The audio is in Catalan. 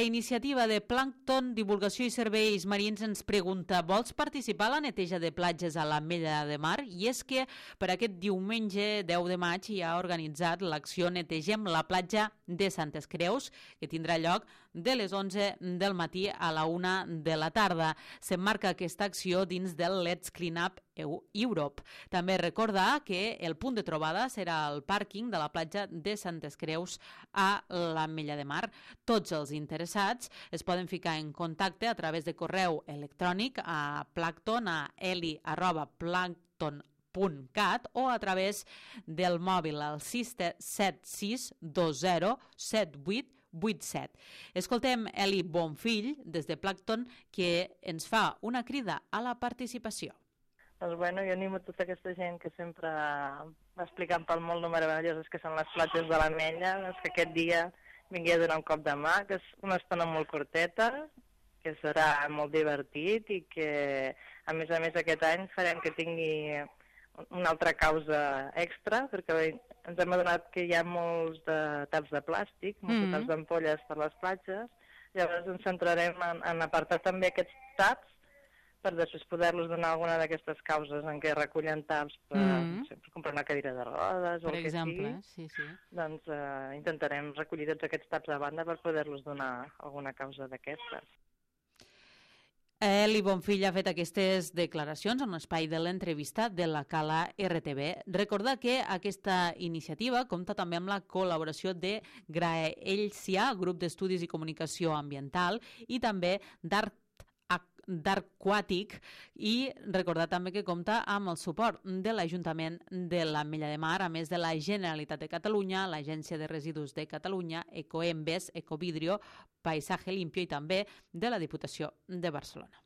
iniciativa de Plàncton, Divulgació i Serveis Marins ens pregunta: vols participar a la neteja de platges a l'Ametlla de Mar? I és que per aquest diumenge 10 de maig hi ha organitzat l'acció Netegem la platja de Santes Creus, que tindrà lloc de les 11 del matí a la 1 de la tarda. S'emmarca aquesta acció dins del Let's Clean Up Europe. També recordar que el punt de trobada serà el pàrquing de la platja de Santes Creus a l'Ametlla de Mar. Tots els interessats es poden ficar en contacte a través de correu electrònic a Plàncton, a eli@plàncton.cat o a través del mòbil al 676207887. Escoltem Eli Bonfill des de Plàncton, que ens fa una crida a la participació. Doncs bueno, jo animo tota aquesta gent que sempre va explicant pel molt meravelloses que són les platges de l'Ametlla, doncs que aquest dia vingui a donar un cop de mà, que és una estona molt curteta, que serà molt divertit i que, a més aquest any farem que tingui una altra causa extra, perquè ens hem adonat que hi ha molts de taps de plàstic, molts taps d'ampolles per les platges, llavors ens centrarem en apartar també aquests taps per després poder-los donar alguna d'aquestes causes en què recullen taps per comprar una cadira de rodes o el que sigui. Sí. Doncs intentarem recollir tots aquests taps a banda per poder-los donar alguna causa d'aquestes. Eli Bonfill ha fet aquestes declaracions en l'espai de l'entrevista de la Cala RTV. Recordar que aquesta iniciativa compta també amb la col·laboració de Graelcia, grup d'estudis i comunicació ambiental, i també d'Arquàtic, i recordar també que compta amb el suport de l'Ajuntament de l'Ametlla de Mar, a més de la Generalitat de Catalunya, l'Agència de Residus de Catalunya, Ecoembes, Ecovidrio, Paisaje Limpio i també de la Diputació de Barcelona.